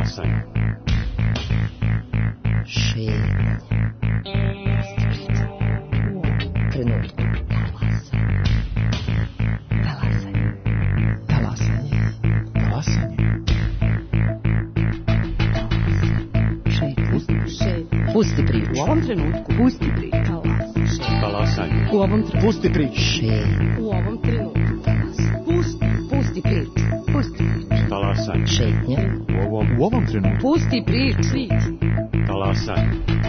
Talasanje. Šetnja. Trenutku. Talasanje. Talasanje. Talasanje. Pusti priču. U ovom trenutku. Pusti priču. Talasanje. U ovom trenutku. Pusti priču. U ovom trenutku. Pusti priču. Pusti priču. Talasanje. Šetnja. U ovom trenutku. Pusti priču. Talasanje.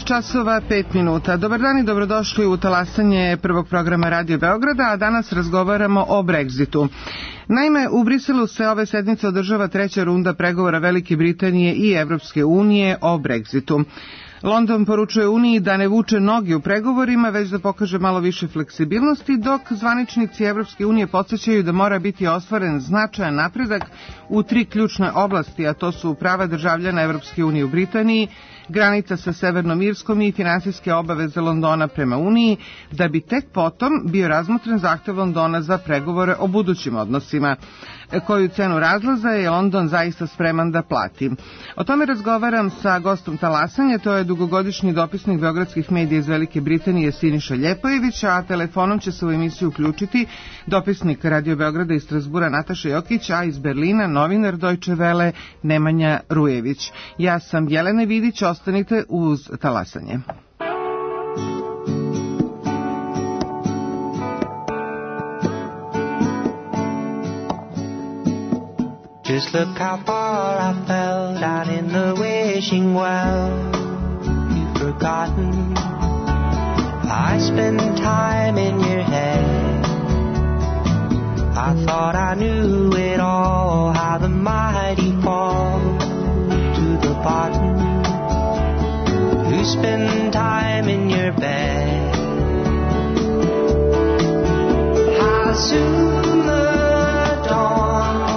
časova 5 minuta. Dobar dan i dobrodošli u talasanje prvog programa Radio Beograda, a danas razgovaramo o Brexitu. Naime, u Briselu se ove sedmice održava treća runda pregovora Velike Britanije i Evropske unije o Brexitu. London poručuje Uniji da ne vuče noge u pregovorima, već da pokaže malo više fleksibilnosti, dok zvaničnici Evropske unije podsjećaju da mora biti ostvaren značajan napredak u 3 ključne oblasti, a to su prava državljana Evropske unije u Britaniji, granica sa Severnom Irskom i finansijske obaveze Londona prema Uniji, da bi tek potom bio razmotren zahtev Londona za pregovore o budućim odnosima. Koju cenu razlaza je London zaista spreman da plati? O tome razgovaram sa gostom talasanja, to je dugogodišnji dopisnik beogradskih medija iz Velike Britanije Siniša Ljepojević, a telefonom će se u emisiju uključiti dopisnik Radio Beograda iz Strasbura Nataša Jokić, a iz Berlina novinar Deutsche Welle Nemanja Rujević. Ja sam Jelena Vidić, ostanite uz talasanje. Just look how far I fell down in the wishing well. You've forgotten I spent time in your head. I thought I knew it all, how the mighty fall to the bottom. You spend time in your bed. How soon the dawn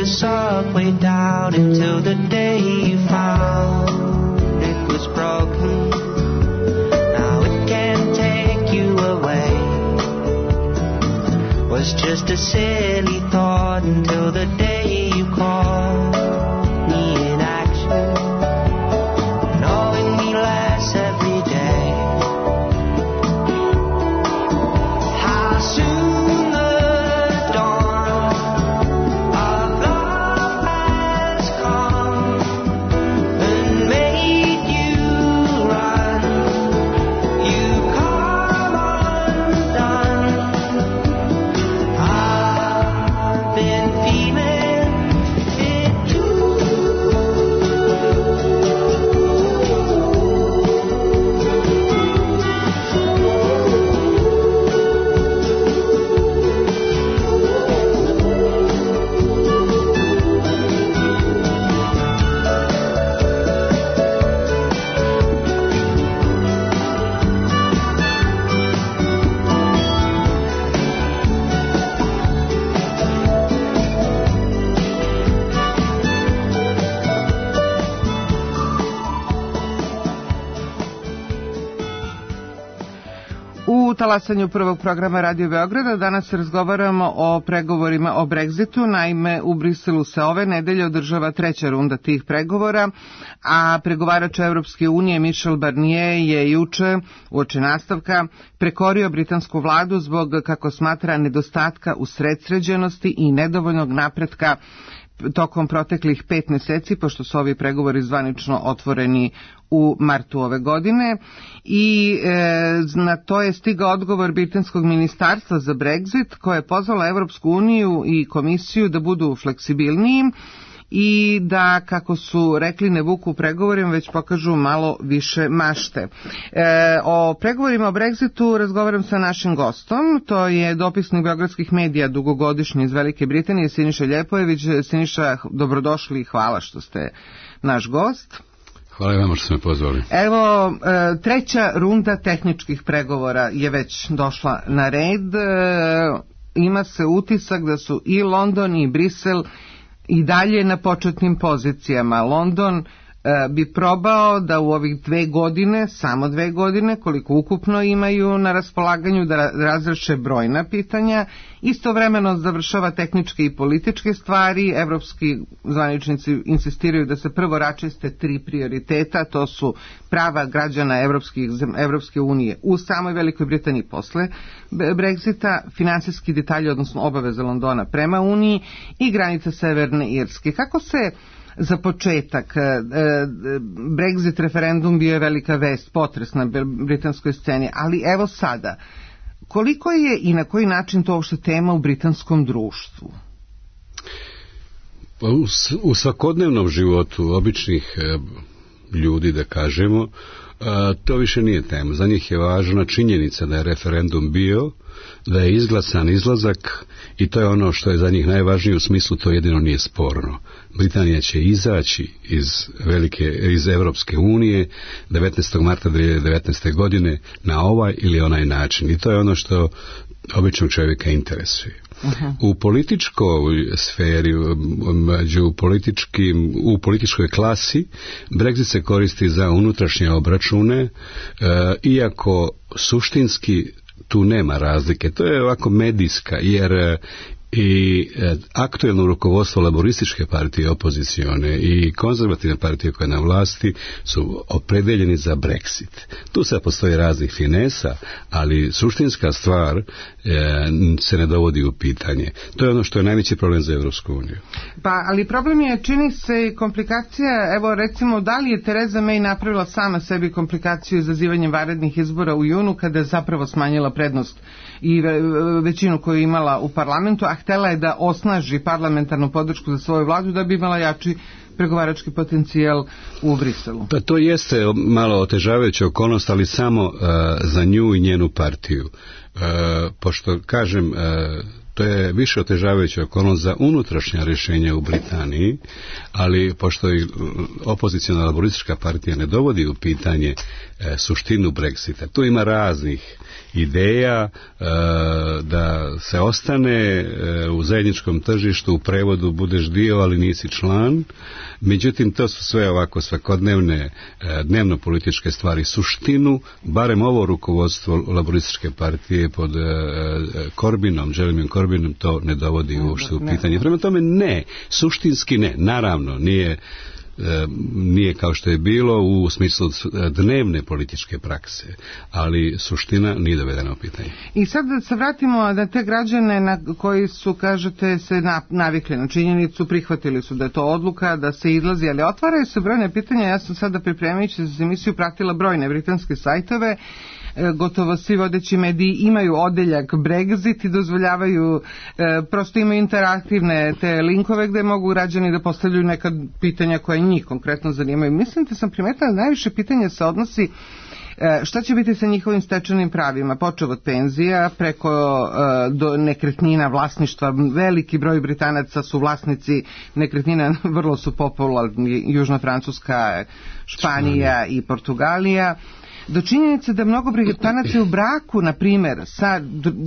the subway down until the day you found it was broken. Now it can't take you away. Was just a silly thought until the day you called me in action, knowing me less every day. How soon U talasanju prvog programa Radio Beograda danas razgovaramo o pregovorima o Brexitu. Naime, u Briselu se ove nedelje održava treća runda tih pregovora, a pregovarač Evropske unije Michel Barnier je juče, uoči nastavka, prekorio britansku vladu zbog, kako smatra, nedostatka usredsređenosti i nedovoljnog napretka tokom proteklih 5 mjeseci, pošto su ovi pregovori zvanično otvoreni u martu ove godine, i na to je stigao odgovor britanskog ministarstva za Brexit, koje je pozvala Evropsku uniju i komisiju da budu fleksibilniji i da, kako su rekli, ne vuku u pregovorima, već pokažu malo više mašte. O pregovorima o Brexitu razgovaram sa našim gostom, to je dopisnik beogradskih medija, dugogodišnji iz Velike Britanije, Siniša Ljepojević. Siniša, dobrodošli i hvala što ste naš gost. Hvala vam što ste me pozvali. Evo, treća runda tehničkih pregovora je već došla na red. Ima se utisak da su i London i Brisel i dalje na početnim pozicijama. London bi probao da u ovih 2 godine, samo 2 godine, koliko ukupno imaju na raspolaganju, da razreše brojna pitanja, istovremeno završava tehničke i političke stvari. Evropski zvaničnici insistiraju da se prvo raščiste 3 prioriteta, to su prava građana Evropske unije u samoj Velikoj Britaniji posle Brexita, finansijski detalji, odnosno obaveze Londona prema Uniji i granica Severne Irske. Kako se za početak, Brexit referendum bio je velika vest, potres na britanskoj sceni, ali evo sada, koliko je i na koji način to uopšte tema u britanskom društvu? U svakodnevnom životu običnih ljudi, da kažemo, to više nije tema. Za njih je važna činjenica da je referendum bio, da je izglasan izlazak, i to je ono što je za njih najvažnije, u smislu to jedino nije sporno. Britanija će izaći iz Evropske unije 19. marta 2019. godine na ovaj ili onaj način, i to je ono što običnog čovjeka interesuje. U političkoj sferi, u političkoj klasi, Brexit se koristi za unutrašnje obračune, iako suštinski tu nema razlike. To je ovako medijska, jer i aktuelno rukovodstvo laborističke partije opozicione i konzervativne partije koje je na vlasti su opredeljeni za Brexit. Tu sad postoji raznih finesa, ali suštinska stvar se ne dovodi u pitanje. To je ono što je najveći problem za Evropsku uniju. Pa, ali problem je, čini se, i komplikacija. Evo, recimo, da li je Theresa May napravila sama sebi komplikaciju izazivanjem vanrednih izbora u junu, kada je zapravo smanjila prednost i većinu koju je imala u parlamentu, a htjela je da osnaži parlamentarnu podršku za svoju vladu da bi imala jači pregovarački potencijal u Briselu. Pa to jeste malo otežavajuća okolnost, ali samo za nju i njenu partiju. Pošto, kažem, to je više otežavajuća okolnost za unutrašnja rješenja u Britaniji, ali pošto i opoziciona laboristička partija ne dovodi u pitanje suštinu Brexita, tu ima raznih ideja da se ostane u zajedničkom tržištu, u prevodu budeš dio, ali nisi član. Međutim, to su sve ovako svakodnevne, dnevno političke stvari. Suštinu, barem ovo rukovodstvo laborističke partije pod Jeremyem Corbynom, to ne dovodi uopšte u pitanje. Prema tome ne, suštinski ne, naravno nije kao što je bilo u smislu dnevne političke prakse, ali suština nije dovedena u pitanje. I sad da se vratimo na te građane koji su, kažete, se navikli na činjenicu, prihvatili su da je to odluka, da se izlazi, ali otvaraju se brojne pitanja. Ja sam sada, pripremajući za emisiju, pratila brojne britanske sajtove. Gotovo svi vodeći mediji imaju odeljak Brexit i dozvoljavaju, prosto imaju interaktivne te linkove gde mogu građani da postavljaju neka pitanja koja njih konkretno zanimaju. Mislim da sam primetila da najviše pitanja se odnosi šta će biti sa njihovim stečenim pravima, počeo od penzija preko do nekretnina, vlasništva. Veliki broj Britanaca su vlasnici nekretnina, vrlo su popularni Južna Francuska, Španija i Portugalija. Do činjenice da mnogo Britanaca je u braku, na primjer, sa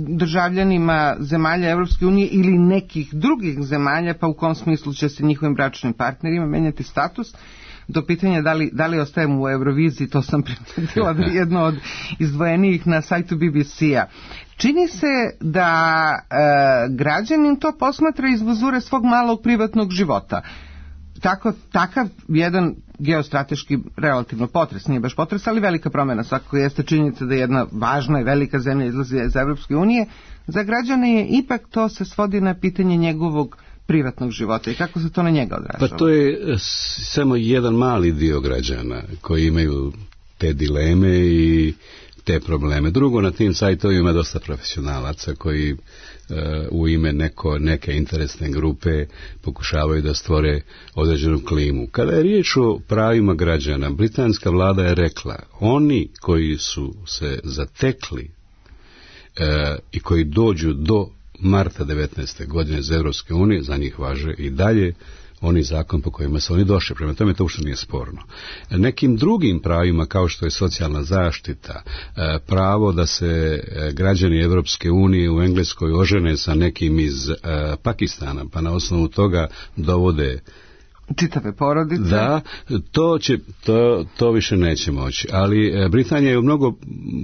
državljanima zemalja Evropske unije ili nekih drugih zemalja, pa u kom smislu će se njihovim bračnim partnerima menjati status, do pitanja da li ostajemo u Euroviziji, to sam primetila da je jedno od izdvojenijih na sajtu BBC-a. Čini se da građanin to posmatra iz vizure svog malog privatnog života. Takav jedan geostrateški relativno potres, nije baš potres, ali velika promjena svakako jeste činjenica da jedna važna i velika zemlja izlazi iz Evropske unije. Za građane je ipak to se svodi na pitanje njegovog privatnog života i kako se to na njega odražava? Pa to je samo jedan mali dio građana koji imaju te dileme i te probleme. Drugo, na tim sajtovima ima dosta profesionalaca koji u ime neke interesne grupe pokušavaju da stvore određenu klimu. Kada je riječ o pravima građana, britanska vlada je rekla, oni koji su se zatekli i koji dođu do marta 19. godine iz Europske unije, za njih važe i dalje oni zakon po kojima su oni došli. Prema tome to uopšte nije sporno. Nekim drugim pravima kao što je socijalna zaštita, pravo da se građani Europske unije u Engleskoj ožene sa nekim iz Pakistana, pa na osnovu toga dovode čitave porodice. Da, to više neće moći. Ali Britanija je u mnogo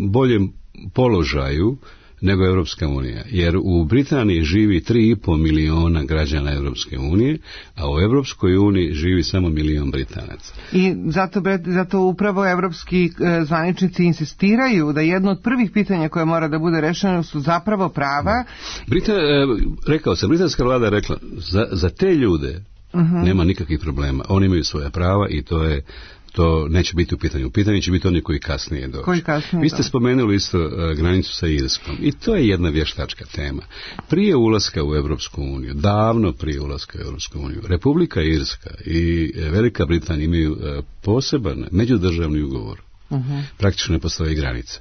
boljem položaju nego Europska unija, jer u Britaniji živi 3,5 miliona građana Europske unije, a u Europskoj uniji živi samo 1 milion Britanaca. I zato upravo evropski zvaničnici insistiraju da jedno od prvih pitanja koje mora da bude rešeno su zapravo prava. Rekao sam, britanska vlada je rekla, za te ljude nema nikakvih problema, oni imaju svoja prava i to neće biti u pitanju. U pitanju će biti oni koji kasnije dođu. Vi ste spomenuli isto granicu sa Irskom i to je jedna vještačka tema. Prije ulaska u Europsku uniju, davno prije ulaska u Europsku uniju, Republika Irska i Velika Britanija imaju poseban međudržavni ugovor. Praktično ne postoji granica.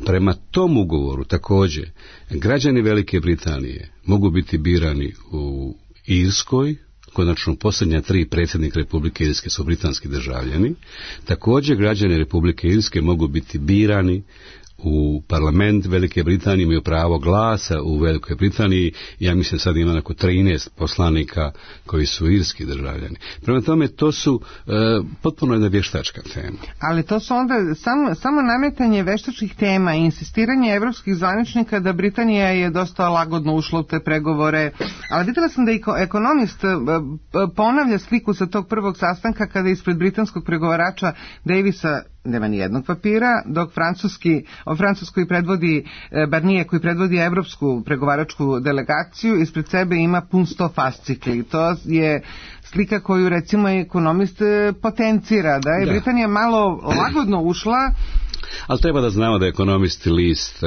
Prema tom ugovoru također građani Velike Britanije mogu biti birani u Irskoj. Konačno, posljednja 3 predsjednika Republike Irske su britanski državljani. Također, građani Republike Irske mogu biti birani u parlament Velike Britanije, imaju pravo glasa u Velikoj Britaniji. Ja mislim sad ima oko 13 poslanika koji su irski državljani. Prema tome, to su potpuno jedna vještačka tema. Ali to su onda samo nametanje vještačkih tema i insistiranje evropskih zvaničnika da Britanija je dosta lagodno ušla u te pregovore. Ali vidjela sam da i ekonomist ponavlja sliku sa tog prvog sastanka kada ispred britanskog pregovarača Davisa nema ni jednog papira, dok Francuskoj predvodi Barnier koji predvodi evropsku pregovaračku delegaciju, ispred sebe ima pun 100 fascikli. To je slika koju recimo ekonomist potencira, da je Britanija malo lagodno ušla. Ali treba da znamo da je ekonomisti list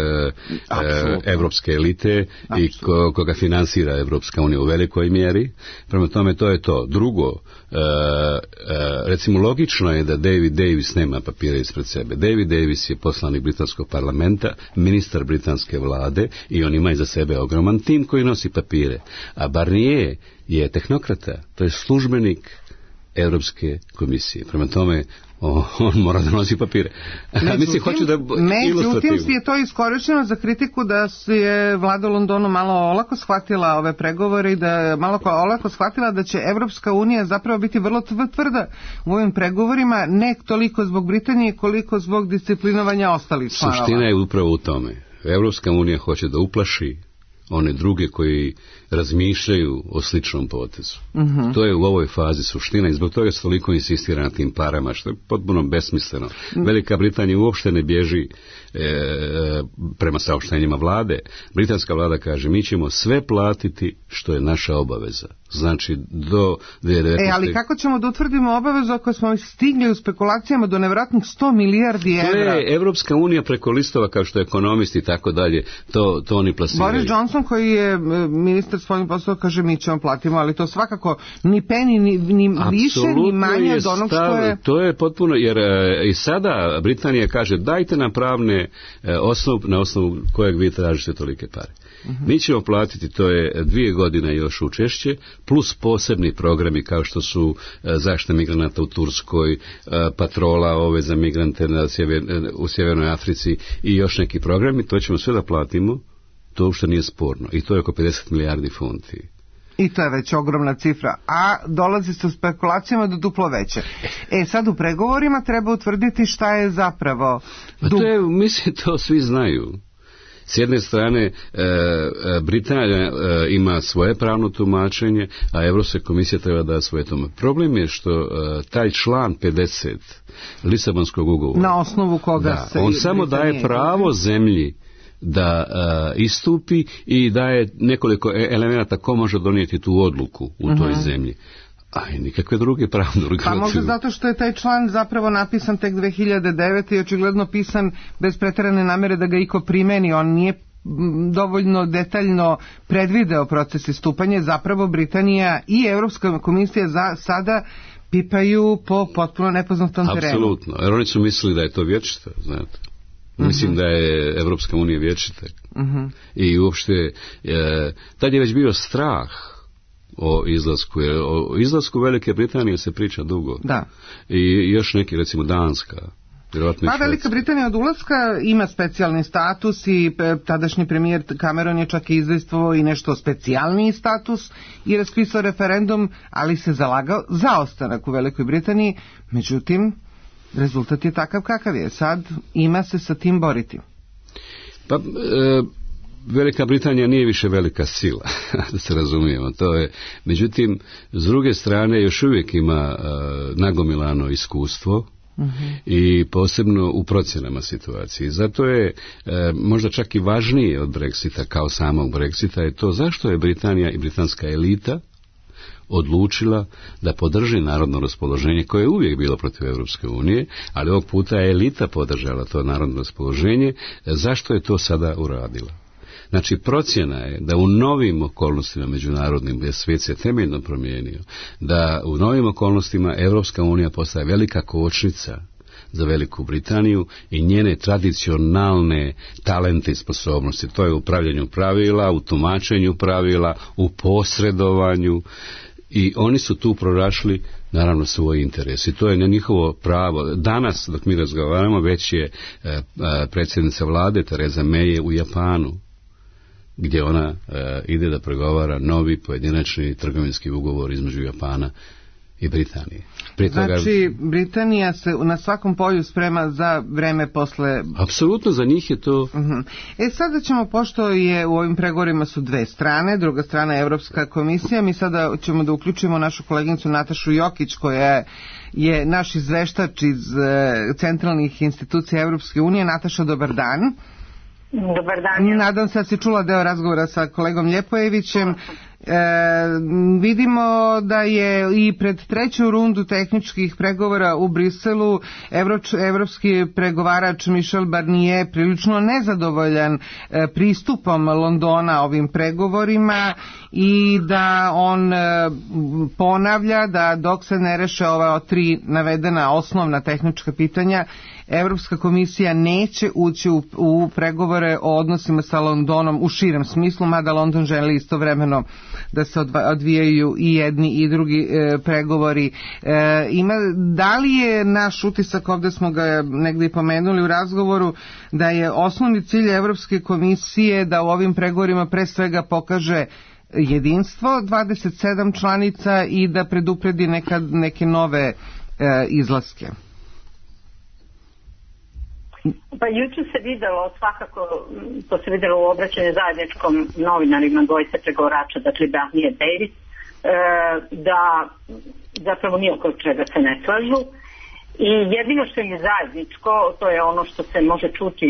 evropske elite i koga finansira Evropska unija u velikoj mjeri. Prema tome to je to. Drugo, recimo logično je da David Davis nema papira ispred sebe. David Davis je poslanik britanskog parlamenta, ministar britanske vlade i on ima iza sebe ogroman tim koji nosi papire. A Barnier je tehnokrata, to je službenik Europske komisije. Prema tome on mora da nosi papire. Međutim je to iskorišteno za kritiku da je vlada Londonu malo olako shvatila ove pregovore i da malo olako shvatila da će Evropska unija zapravo biti vrlo tvrda u ovim pregovorima, ne toliko zbog Britanije koliko zbog disciplinovanja ostalih članova. Suština je upravo u tome. Evropska unija hoće da uplaši one druge koji razmišljaju o sličnom potezu. To je u ovoj fazi suština i zbog toga se toliko insistira na tim parama, što je potpuno besmisleno. Velika Britanija uopšte ne bježi prema saopštenjima vlade. Britanska vlada kaže, mi ćemo sve platiti što je naša obaveza. Znači, do 2019. Ali kako ćemo da utvrdimo obavezu ako smo stigli u spekulacijama do nevjerojatnih 100 milijardi evra? To je Evropska unija preko listova, kao što je ekonomisti i tako dalje, to oni plasiraju. Boris Johnson, koji je ministar spoljnih poslova, kaže mi ćemo platimo, ali to svakako ni peni, ni više, ni manje od onog što je... To je potpuno, jer i sada Britanija kaže, dajte nam pravne na osnovu kojeg vi tražite tolike pare. Mi ćemo platiti, to je 2 godine još učešće, plus posebni programi kao što su zaštita migranata u Turskoj, patrola za migrante u Sjevernoj Africi i još neki programi, to ćemo sve da platimo, to uopšte nije sporno i to je oko 50 milijardi funti. I to je već ogromna cifra, a dolazi se u spekulacijama do duplo veće. Sad u pregovorima treba utvrditi šta je zapravo... Mislim, to svi znaju. S jedne strane, Britanija ima svoje pravno tumačenje, a Europska komisija treba da svoje tome. Problem je što taj član 50 Lisabonskog ugovora, na osnovu koga on samo daje pravo zemlji da istupi i daje nekoliko elemenata ko može donijeti tu odluku u toj zemlji. A i nikakve druge pravne organizacije. Pa možda zato što je taj član zapravo napisan tek 2009. i očigledno pisan bez preterane namere da ga iko primeni. On nije dovoljno detaljno predvideo proces istupanja. Zapravo Britanija i Evropska komisija sada pipaju po potpuno nepoznatom terenu. Apsolutno, jer oni su mislili da je to vječito, znate. Mislim da je Evropska unija vječita. I uopšte, tad je već bio strah o izlasku, jer o izlasku Velike Britanije se priča dugo. Da. I još neki, recimo Danska. Pa Velika Britanija od ulaska ima specijalni status i tadašnji premijer Cameron je čak izdejstvovao i nešto specijalniji status i raspisao referendum, ali se zalagao za ostanak u Velikoj Britaniji. Međutim, rezultat je takav kakav je. Sad ima se sa tim boriti. Pa, Velika Britanija nije više velika sila, da se razumijemo. To je, međutim, s druge strane još uvijek ima nagomilano iskustvo i posebno u procjenama situacije. Zato je možda čak i važnije od Brexita kao samog Brexita je to zašto je Britanija i britanska elita odlučila da podrži narodno raspoloženje koje je uvijek bilo protiv Europske unije, ali ovog puta je elita podržala to narodno raspoloženje. Zašto je to sada uradila? Znači, procjena je da u novim okolnostima međunarodnim, gdje svijet se temeljno promijenio, da u novim okolnostima Europska unija postaje velika kočnica za Veliku Britaniju i njene tradicionalne talente i sposobnosti. To je u upravljanju pravila, u tumačenju pravila, u posredovanju i oni su tu pronašli naravno svoj interes i to je na njihovo pravo. Danas, dok mi razgovaramo, već je predsjednica vlade Theresa May u Japanu, gdje ona ide da pregovara novi pojedinačni trgovinski ugovor između Japana i Britanije. Znači, Britanija se na svakom polju sprema za vreme posle... Apsolutno, za njih je to... Sada ćemo, pošto je u ovim pregovorima su dve strane, druga strana je Evropska komisija, mi sada ćemo da uključimo našu koleginicu Natašu Jokić, koja je naš izveštač iz centralnih institucija Evropske unije. Nataša, dobar dan. Dobar dan. Nadam se da si čula deo razgovora sa kolegom Ljepojevićem. Vidimo da je i pred treću rundu tehničkih pregovora u Briselu evropski pregovarač Michel Barnier prilično nezadovoljan pristupom Londona ovim pregovorima i da on ponavlja da dok se ne reše ova tri navedena osnovna tehnička pitanja, Evropska komisija neće ući u pregovore o odnosima sa Londonom u širem smislu, mada London želi istovremeno da se odvijaju i jedni i drugi pregovori. Da li je naš utisak, ovdje smo ga negdje pomenuli u razgovoru, da je osnovni cilj Evropske komisije da u ovim pregovorima pre svega pokaže jedinstvo 27 članica i da predupredi neke nove izlaske? Pa juče se videlo, svakako to se videlo u obraćanju zajedničkom novinarima dvojice pregovarača, dakle Barnier i Davis, da zapravo nije oko čega se ne slažu. I jedino što im je zajedničko, to je ono što se može čuti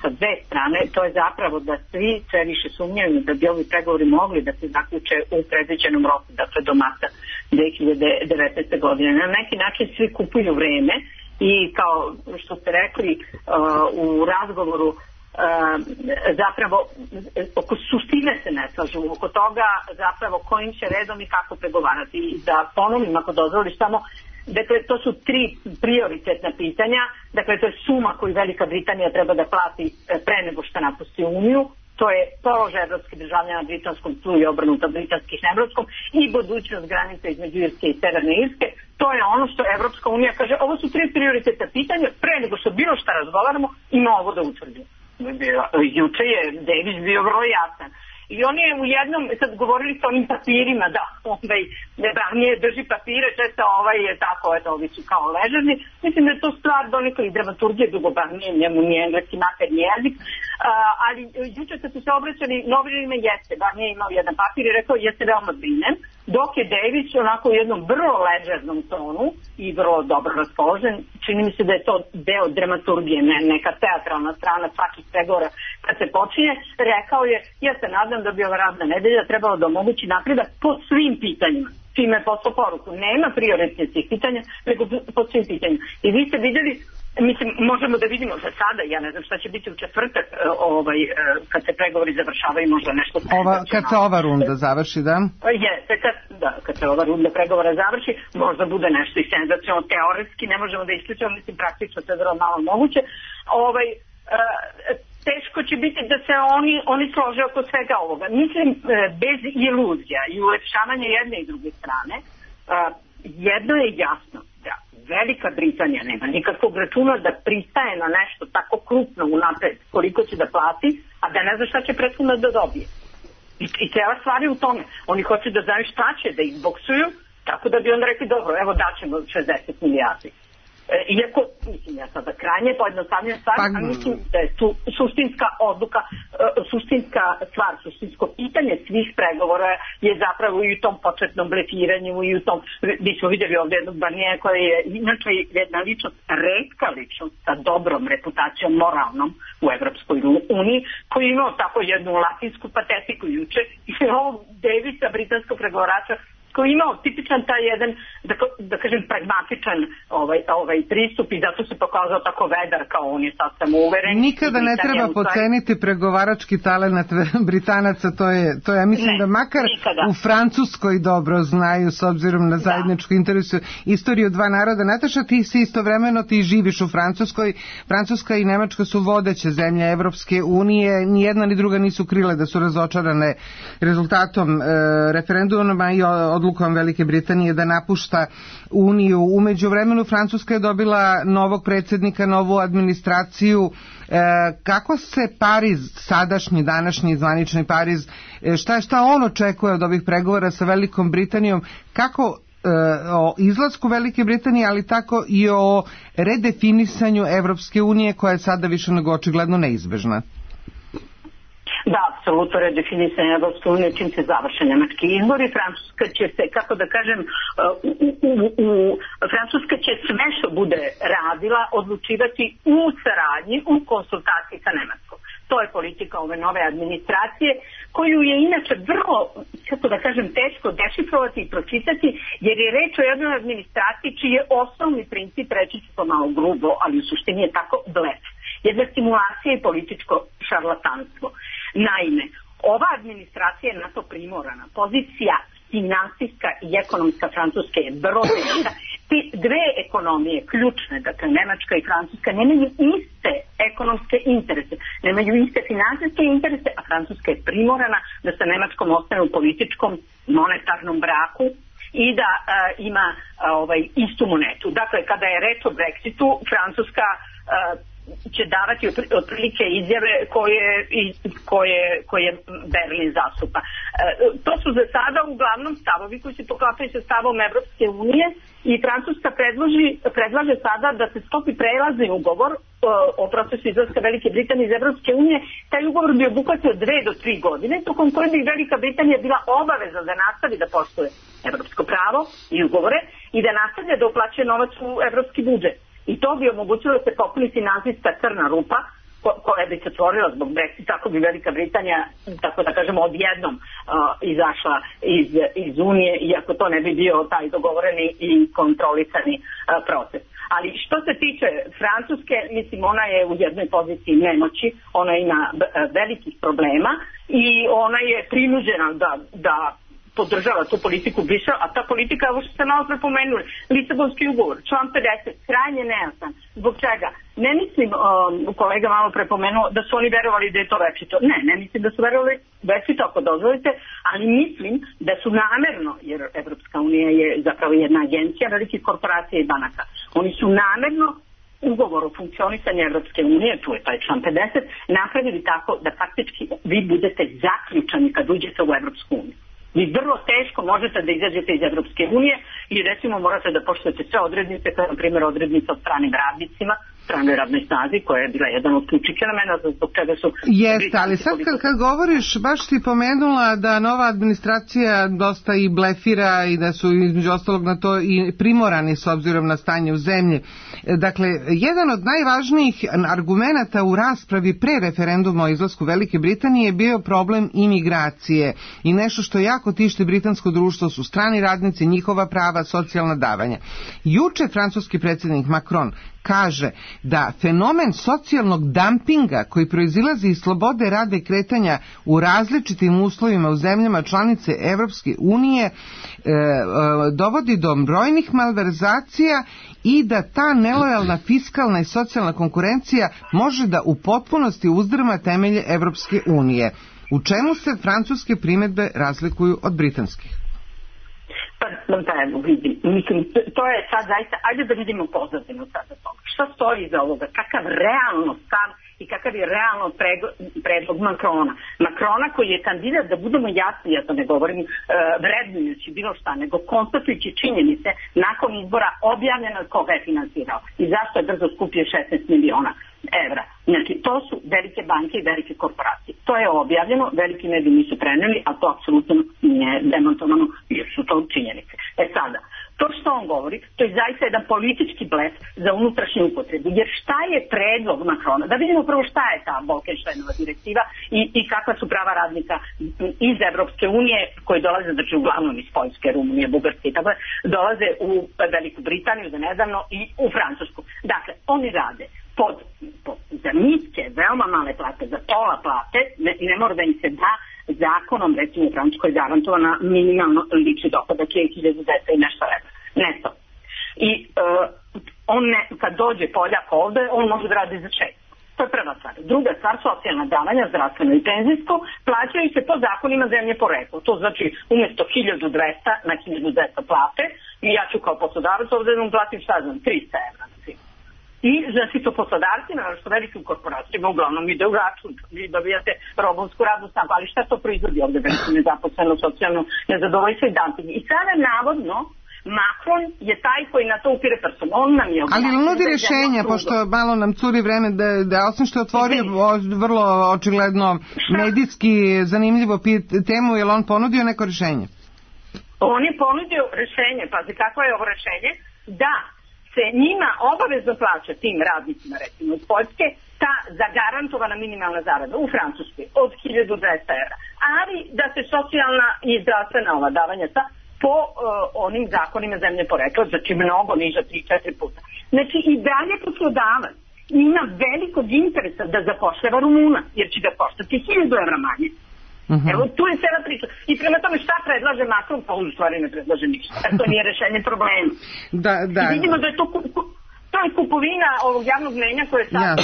sa dve strane, to je zapravo da svi sve više sumnjaju da bi ovi pregovori mogli da se zaključe u predviđenom roku, dakle do marta 2019. godine. Na neki način svi kupuju vreme i kao što ste rekli u razgovoru, zapravo oko suštine se ne slažu, oko toga zapravo kojim će redom i kako pregovarati. I da ponovim, ako dozvoliš samo, dakle to su tri prioritetna pitanja, dakle to je suma koju Velika Britanija treba da plati pre nego što napusti Uniju, to je položaj evropskih državljana na britanskom tlu i obrnuto britanskih na evropskom i budućnost granica između Irske i Severne Irske. To je ono što Evropska unija kaže, ovo su tri prioritetna pitanja, pre nego što bilo šta razgovaramo ima ovo da utvrdimo. Juče je Davis bio vrlo jasan. I on je u jednom, sad govorili sa onim papirima, da Barnier drži papire, često je tako, ovi su kao ležerni. Mislim da je to stvar donekle i dramaturgije, dugo Barnier, njemu nije engleski materni jezik, ali juče kad su se obraćali novinarima jeste, Barnier je imao jedan papir i rekao, ja se veoma brinem dok je Davis onako u jednom vrlo ležernom tonu i vrlo dobro raspoložen. Čini mi se da je to deo dramaturgije, neka teatralna strana svakih pregovora kad se počinje. Rekao je, ja se nadam da bi ova radna nedelja trebalo da omogući napredak po svim pitanjima. Čime je poslao poruku. Nema prioritetnih pitanja, nego po svim pitanjima. I vi ste vidjeli, mislim, možemo da vidimo za sada, ja ne znam šta će biti u četvrtak, kad se pregovori završavaju, možda nešto... Kad se ova runda završi, da? Kad se ova runda pregovora završi, možda bude nešto i senzacionalno, teoretski, ne možemo da isključimo, mislim, praktično to je vrlo malo moguće. Teško će biti da se oni slože oko svega ovoga. Mislim, bez iluzija i ulepšavanja jedne i druge strane, jedno je jasno, da Velika Britanija nema nikakvog računa da pristaje na nešto tako krupno unapred koliko će da plati, a da ne zna šta će prethodno da dobije. I cijela stvar je u tome. Oni hoće da znaju šta će da izboksuju, tako da bi onda rekli, dobro, evo daćemo 60 milijardi. Iako, mislim, ja sada krajnje pojednostavljam stvar, a mislim da je tu suštinska odluka, suštinska stvar, suštinsko pitanje svih pregovora je zapravo i u tom početnom blefiranju i u tom, mi smo vidjeli ovdje jednog Barnija koja je inače jedna ličnost, retka ličnost sa dobrom reputacijom moralnom u Evropskoj uniji, koji je imao tako jednu latinsku patetiku juče i ovog Davisa, britanskog pregovarača, koji je imao tipičan taj jedan, da kažem, pragmatičan pristup i zato se pokazao tako vedar kao on je sad samouveren. Nikada ne treba poceniti pregovarački talenat Britanaca, to je, ja mislim da makar u Francuskoj dobro znaju s obzirom na zajedničku interesu istoriju dva naroda. Nataša, ti si istovremeno, ti živiš u Francuskoj. Francuska i Nemačka su vodeće zemlje Evropske unije, ni jedna ni druga nisu krile da su razočarane rezultatom referenduma i odlukom Velike Britanije da napušta Uniju. U međuvremenu Francuska je dobila novog predsjednika, novu administraciju. Kako se Pariz, sadašnji, današnji zvanični Pariz, šta on očekuje od ovih pregovora sa Velikom Britanijom, kako o izlasku Velike Britanije, ali tako i o redefinisanju Evropske unije koja je sada više nego očigledno neizbežna? Da, apsolutno redefinisanje Evropske unije čim se završe nemački izbori. Francuska će se, kako da kažem, Francuska će sve što bude radila odlučivati u saradnji, u konsultaciji sa Nemačkom. To je politika ove nove administracije, koju je inače vrlo, kako da kažem, teško dešifrovati i pročitati, jer je reč o jednoj administraciji čiji je osnovni princip, reći ću to malo grubo, ali u suštini je tako, blef. Jedna stimulacija i političko šarlatanstvo. Naime, ova administracija je na to primorana. Pozicija finansijska i ekonomska Francuske je vrlo teška. Ti dve ekonomije, ključne, dakle Nemačka i Francuska, nemaju iste ekonomske interese, nemaju iste finansijske interese, a Francuska je primorana da sa Nemačkom ostane u političkom monetarnom braku i da ima istu monetu. Dakle, kada je reč o Brexitu, Francuska će davati otprilike izjave koje Berlin zastupa. To su za sada uglavnom stavovi koji se poklapaju sa stavom Evropske unije i Francuska predlaže sada da se sklopi prelazni ugovor o procesu izlaska Velike Britanije iz Evropske unije. Taj ugovor bi obuhvatio 2 do 3 godine, tokom koje bi Velika Britanija bila obaveza da nastavi da poštuje evropsko pravo i ugovore i da nastavlja da uplaćuje novac u evropski budžet. I to bi omogućilo da se popuni finansijska crna rupa koja bi se otvorila zbog Brexita, tako bi Velika Britanija, tako da kažemo, odjednom izašla iz Unije, iako to ne bi bio taj dogovoreni i kontrolisani proces. Ali što se tiče Francuske, mislim, ona je u jednoj poziciji nemoći, ona ima velikih problema i ona je prinuđena da podržava tu politiku Brisela, a ta politika, ovo što ste malo prepomenuli, Lisabonski ugovor, član 50, krajnje nejasan. Zbog čega? Ne mislim, kolega malo prepomenuo, da su oni verovali da je to večito. Ne mislim da su verovali večito, ako dozvolite, ali mislim da su namerno, jer Evropska unija je zapravo jedna agencija velikih korporacija i banaka, oni su namerno ugovor o funkcionisanju Evropske unije, tu je taj član 50, napravili tako da faktički vi budete zaključani kad uđete u Evropsku uniju. Vi vrlo teško možete da izađete iz Evropske unije i recimo morate da poštujete sve odrednice, kao na primjer odrednice o stranim radnicima, stranoj radnoj snazi, koja je bila jedan od ključnih fenomena zbog čega su... Jeste, ali sad kad govoriš, baš si pomenula da nova administracija dosta i blefira i da su između ostalog na to i primorani s obzirom na stanje u zemlji. Dakle, jedan od najvažnijih argumenata u raspravi pre referenduma o izlasku Velike Britanije je bio problem imigracije i nešto što jako tišti britansko društvo su strani radnici, njihova prava, socijalna davanja. Juče francuski predsjednik Macron kaže da fenomen socijalnog dampinga koji proizilazi iz slobode rada i kretanja u različitim uslovima u zemljama članice Evropske unije dovodi do brojnih malverzacija i da ta nelojalna fiskalna i socijalna konkurencija može da u potpunosti uzdrma temelje Evropske unije. U čemu se francuske primjedbe razlikuju od britanskih? Pa evo, vidim. Mislim, to je sad zaista, ajde da vidimo pozadinu sada toga. Šta stoji iza ovoga? Kakav realno stav i kakav je realno predlog Macrona. Macrona koji je kandidat, da budemo jasni, ja to ne govorim vrednujući bilo šta, nego konstatujući činjenice nakon izbora objavljeno koga je finansirao i zašto je brzo skupio 16 miliona evra. Znači, to su velike banke i velike korporacije. To je objavljeno, veliki mediji nisu preneli, a to apsolutno nije demontovano, jer su to činjenice. Sada, to što on govori, to je zaista jedan politički blef za unutrašnju upotrebu. Jer šta je predlog Macrona? Da vidimo prvo šta je ta Bolkensteinova direktiva i kakva su prava radnika iz Evropske unije koji dolaze, znači uglavnom iz Poljske, Rumunije, Bugarske i tako dolaze u Veliku Britaniju za nedavno i u Francusku. Dakle, oni rade za niske, veoma male plate, za pola plate, ne mora da im se da zakonom, recimo u Francuskoj garantovana minimalno lični dohodak je 1010 i nešto neto. I on kad dođe Poljak ovde, on može da radi za 6. To je prva stvar. Druga stvar, socijalna davanja, zdravstveno i penzijsko, plaćaju se po zakonima zemlje porekla. To znači umjesto 1200 na 1200 plate i ja ću kao poslodavac ovde da mu platim šta znam, 300 evra. I znači to poslodavcima, što velikim korporacijama uglavnom ide u račun. Vi dobijate robovsku radnu snagu, ali šta to proizvodi ovde? Veliko nezaposleno, socijalno nezadovoljstvo i dumping. I sada navodno Macron je taj koji na to upire prstom. On nam je ali nudi rješenja, pošto malo nam curi vreme, da osim što je otvorio vrlo očigledno medijski zanimljivo temu, je li on ponudio neko rješenje? On je ponudio rješenje, pazi kakvo je ovo rješenje, da se njima obavezno plaća tim radnicima, recimo iz Poljske, ta zagarantovana minimalna zarada u Francuskoj od 1200 evra. Ali da se socijalna i zdravstvena ova davanja po onim zakonima zemlje porekla, znači mnogo niža 3-4 puta. Znači i dalje poslodavac ima velikog interesa da zapošljava Rumuna, jer će ga koštati 1000 evra manje. Evo, tu je cela priča. I prema tome šta predlaže Macron, pa u stvari ne predlaže ništa. To nije rešenje problema. I vidimo da je to je kupovina ovog javnog mnjenja koje sad...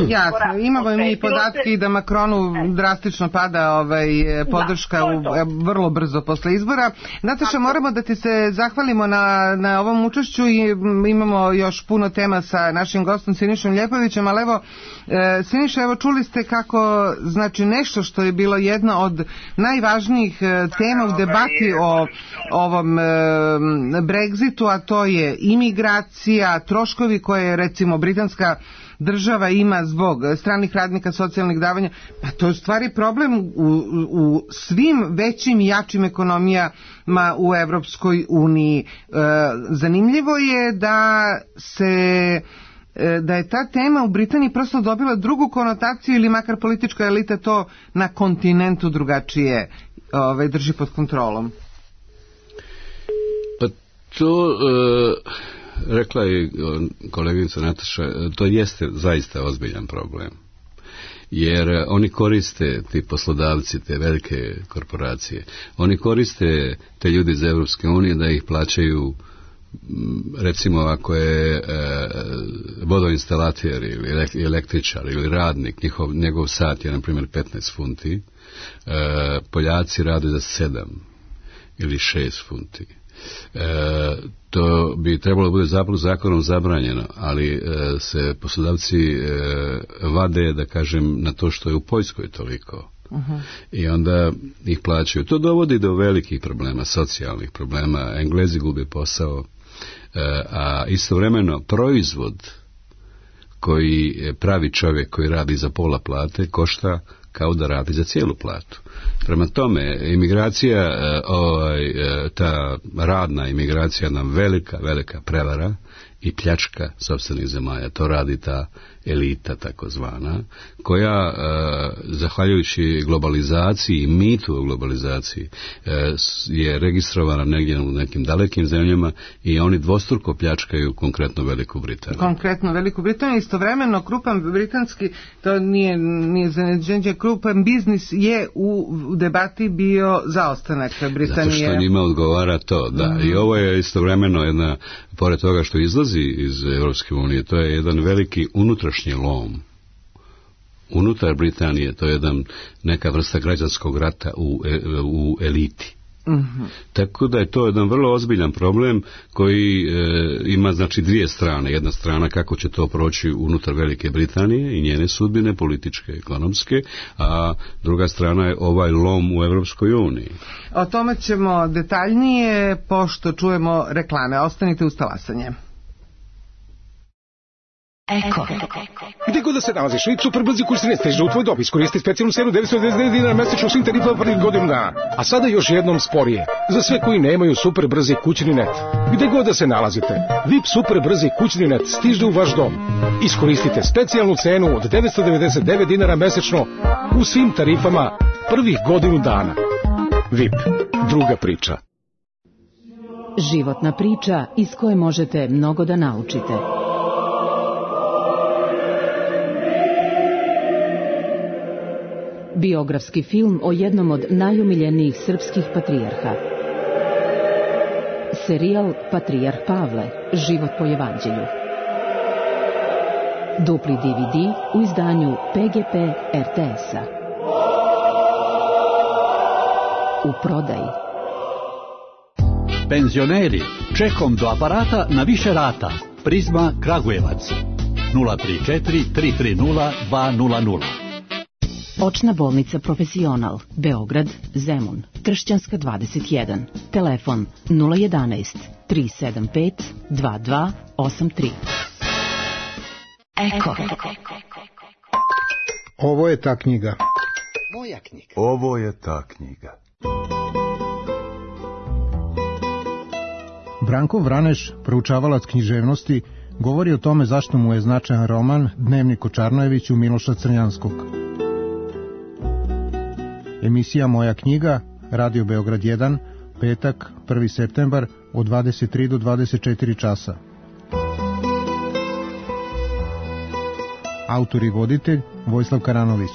Jasno, imamo mi podatke da Macronu drastično pada podrška vrlo brzo posle izbora. Nataša, moramo da ti se zahvalimo na ovom učešću i imamo još puno tema sa našim gostom Sinišom Ljepovićem, ali evo, Siniša, evo čuli ste kako, znači nešto što je bilo jedna od najvažnijih tema u debati o ovom Brexitu, a to je imigracija, troškovi koje recimo britanska država ima zbog stranih radnika, socijalnih davanja, pa to je u stvari problem u svim većim i jačim ekonomijama u Evropskoj uniji. Zanimljivo je da je ta tema u Britaniji prosto dobila drugu konotaciju ili makar politička elita to na kontinentu drugačije drži pod kontrolom. Pa to... rekla je koleginica Nataša, to jeste zaista ozbiljan problem. Jer oni koriste, ti poslodavci, te velike korporacije, oni koriste te ljudi iz Evropske unije da ih plaćaju, recimo ako je vodoinstalater ili električar ili radnik, njegov sat je na primjer 15 funti, Poljaci rade za 7 ili 6 funti. To bi trebalo bude zakonom zabranjeno, ali se poslodavci vade, da kažem, na to što je u Poljskoj toliko. I onda ih plaćaju. To dovodi do velikih problema, socijalnih problema. Englezi gube posao, a istovremeno proizvod koji pravi čovjek koji radi za pola plate košta kao da radi za cijelu platu. Prema tome, imigracija, ta radna imigracija nam velika prevara i pljačka sopstvenih zemalja. To radi ta elita takozvana, koja zahvaljujući globalizaciji i mitu o globalizaciji je registrovana negdje u nekim dalekim zemljama i oni dvostruko pljačkaju konkretno Veliku Britaniju. Istovremeno krupan britanski, to nije zaneđenje, krupan biznis je u debati bio zaostanak Britanije. Zato što njima odgovara to, da. I ovo je istovremeno jedna, pored toga što izlazi iz Europske unije, to je jedan veliki unutrašnji lom. Unutar Britanije to je neka vrsta građanskog rata u eliti. Tako da je to jedan vrlo ozbiljan problem koji ima znači dvije strane. Jedna strana kako će to proći unutar Velike Britanije i njene sudbine političke, ekonomske, a druga strana je ovaj lom u Europskoj uniji. O tome ćemo detaljnije pošto čujemo reklame. Ostanite uz talasanje. Eko. Gde god da se nalaziš, super brzi kurs ne stiže u tvoj dob. Iskoristi specijalnu cenu 999 dinara mesečno svim tarifama prvih godinu dana. A sada još jednom sporije. Za sve koji nemaju super brzi kućni net. Gde god da se nalazite, VIP super brzi kućni net stiže u vaš dom. Iskoristite specijalnu cenu od 999 dinara mesečno u svim tarifama prvih godinu dana. VIP. Druga priča. Životna priča iz koje možete mnogo da naučite. Biografski film o jednom od najumiljenijih srpskih patrijarha. Serijal Patrijarh Pavle, život po evanđelju. Dupli DVD u izdanju PGP RTS-a. U prodaji. Penzioneri, čekom do aparata na više rata. Prizma Kragujevac. 034 330 200. Očna bolnica Profesional, Beograd, Zemun, Tršćanska 21, telefon 011 375 2283. Eko. Ovo je ta knjiga. Moja knjiga. Ovo je ta knjiga. Branko Vraneš, proučavalac književnosti, govori o tome zašto mu je značajan roman Dnevnik o Čarnojeviću Miloša Crnjanskog. Emisija Moja knjiga, Radio Beograd 1, petak, 1. septembar, od 23 do 24 časa. Autor i voditelj Vojislav Karanović.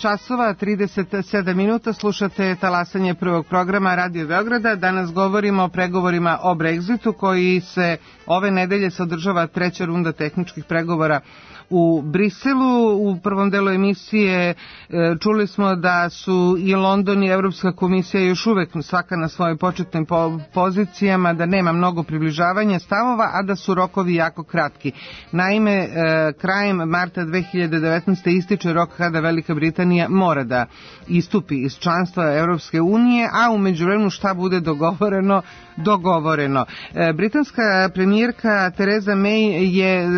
časova 37 minuta, slušate talasanje prvog programa Radio Beograda. Danas govorimo o pregovorima o Brexitu koji se ove nedelje se održava treća runda tehničkih pregovora u Briselu. U prvom delu emisije čuli smo da su i London i Evropska komisija još uvek svaka na svojim početnim pozicijama, da nema mnogo približavanja stavova, a da su rokovi jako kratki. Naime, krajem marta 2019. ističe rok kada Velika Britanija mora da istupi iz članstva Evropske unije, a u međuvremenu šta bude dogovoreno. Britanska premijerka Theresa May je,